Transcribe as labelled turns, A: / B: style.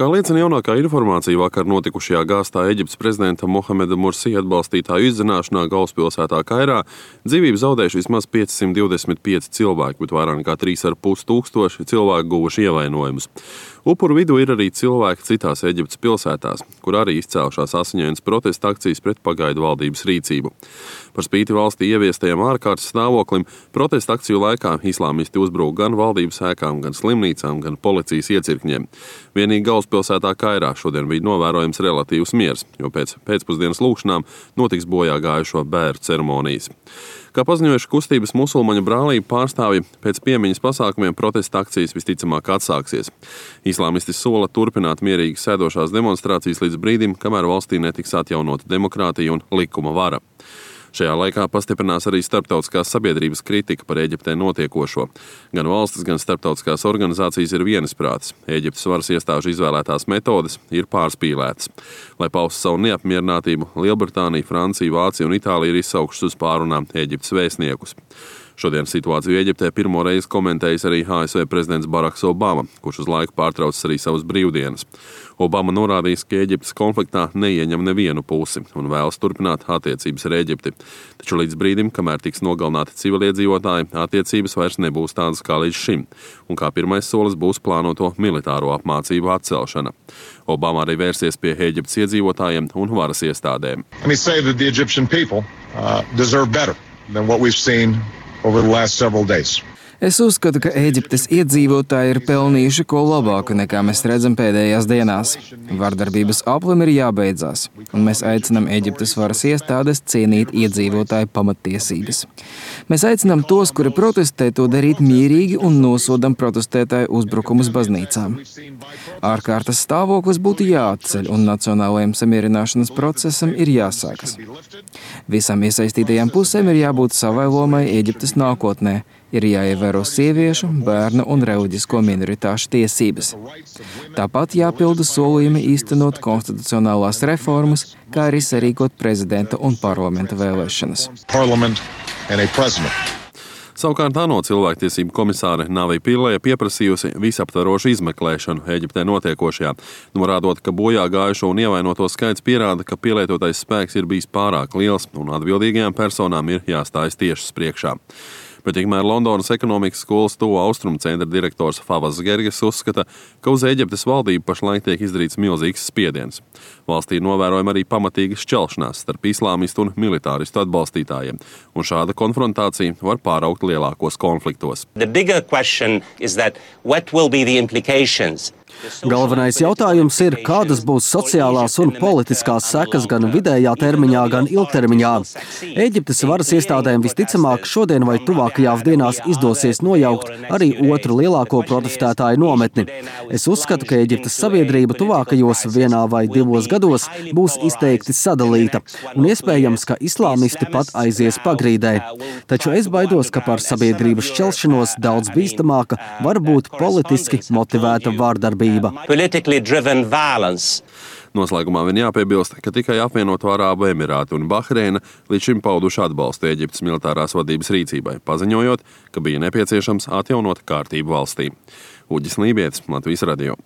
A: Kā liecina jaunākā informācija, vakar notikušajā gāztā Eģiptes prezidenta Mohameda Mursi atbalstītāju izzināšanā galvaspilsētā Kairā dzīvību zaudējuši vismaz 525 cilvēki, bet vairāk nekā 3,5 tūkstoši cilvēku guvuši ievainojumus. Upuru vidū ir arī cilvēki citās Eģiptes pilsētās, kur arī izcēlušās asiņainas protesta akcijas pret pagaidu valdības rīcību. Par spīti valstī ieviestajam ārkārtas stāvoklim, protesta akciju laikā islāmisti uzbruka gan valdības ēkām, gan slimnīcām, gan policijas iecirkņiem. Vienīgi galvaspilsētā Kairā šodien bija novērojams relatīvs miers, jo pēc pēcpusdienas lūkšanām notiks bojā gājušo bērnu ceremonijas. Kā paziņojuši kustības musulmaņu brālību pārstāvji, pēc piemiņas pasākumiem protesta akcijas visticamāk atsāksies. Islāmisti sola turpināt mierīgi sēdošās demonstrācijas līdz brīdim, kamēr valstī netiks atjaunota demokrātija un likuma vara. Šajā laikā pastiprinās arī starptautiskās sabiedrības kritika par Eģiptē notiekošo. Gan valstis, gan starptautiskās organizācijas ir vienisprātis. Eģiptes varas iestāžu izvēlētās metodes ir pārspīlētas. Lai paustu savu neapmierinātību, Lielbritānija, Francija, Vācija un Itālija ir izsaukušas uz pārunām Eģiptes vēstniekus. Šodien situāciju Eģiptē pirmo reizi komentējis arī ASV prezidents Baraks Obama, kurš uz laiku pārtraucis arī savas brīvdienas. Obama norādījis, ka Eģiptes konfliktā neieņem nevienu pusi un vēlas turpināt attiecības ar Eģipti. Taču līdz brīdim, kamēr tiks nogalināti civiliedzīvotāji, attiecības vairs nebūs tādas kā līdz šim, un kā pirmais solis būs plānoto militāro apmācību atcelšana. Obama arī vērsies pie Eģiptes iedzīvotājiem un varas iestādēm.
B: Es uzskatu, ka Eģiptes iedzīvotāji ir pelnījuši ko labāku, nekā mēs redzam pēdējās dienās. Vardarbības aplim ir jābeidzās, un mēs aicinām Eģiptes varas iestādes cienīt iedzīvotāju pamattiesības. Mēs aicinām tos, kuri protestē, to darīt mierīgi un nosodam protestētāju uzbrukumus baznīcām. Ārkārtas stāvoklis būtu jāatceļ, un nacionālajiem samierināšanas procesam ir jāsākas. Visām iesaistītajām pusēm ir jābūt savai lomai Eģiptes nākotnē. Ir jāievēro sieviešu, bērnu un reliģisko minoritāšu tiesības. Tāpat jāpilda solījumi īstenot konstitucionālās reformas, kā arī sarīkot prezidenta un parlamenta vēlēšanas.
A: Savukārt ANO cilvēktiesību komisāre Navi Pillay pieprasījusi visaptvarošu izmeklēšanu Eģiptē notiekošajā, norādot, ka bojā gājušo un ievainoto skaits pierāda, ka pielietotais spēks ir bijis pārāk liels un atbildīgajām personām ir jāstājas tiesas priekšā. Bet tikmēr Londonas ekonomikas skolas Tuvo Austrumu centra direktors Favas Gerges uzskata, ka uz Eģiptes valdību pašlaik tiek izdarīts milzīgs spiediens. Valstī novērojama arī pamatīga šķelšanās starp islāmistu un militāristu atbalstītājiem, un šāda konfrontācija var pāraukt lielākos konfliktos.
C: Galvenais jautājums ir, kādas būs sociālās un politiskās sekas gan vidējā termiņā, gan ilgtermiņā. Eģiptes varas iestādēm visticamāk šodien vai tuvākajās dienās izdosies nojaukt arī otru lielāko protestētāju nometni. Es uzskatu, ka Eģiptes sabiedrība tuvākajos 1 vai 2 gados būs izteikti sadalīta, un iespējams, ka islāmisti pat aizies pagrīdē. Taču es baidos, ka par sabiedrības šķelšanos daudz bīstamāka var būt politiski motivēta vārdarbība.
A: Noslēgumā vien jāpiebilst, ka tikai apvienoto Arābu Emirāti un Bahreina līdz šim pauduši atbalstu Eģiptes militārās vadības rīcībai, paziņojot, ka bija nepieciešams atjaunot kārtību valstī. Uģis Lībietis, Latvijas radio.